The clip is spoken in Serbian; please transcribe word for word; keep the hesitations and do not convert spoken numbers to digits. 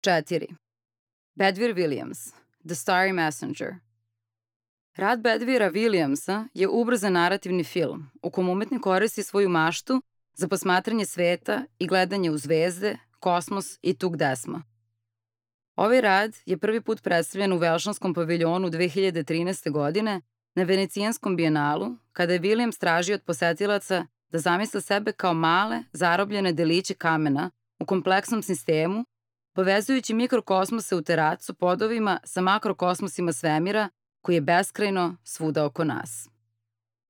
četiri. Bedvir Williams, The Starry Messenger. Rad Bedvira Williamsa je ubrzan narativni film u kom umetnik koristi svoju maštu za posmatranje sveta i gledanje u zvezde, kosmos i tug desma. Ovaj rad je prvi put predstavljen u Velšanskom paviljonu dve hiljade trinaeste. godine na Venecijanskom bijenalu, kada je Williams tražio od posetilaca da zamisle sebe kao male, zarobljene deliće kamena u kompleksnom sistemu, povezujući mikrokosmose u teracu podovima sa makrokosmosima svemira koji je beskrajno svuda oko nas.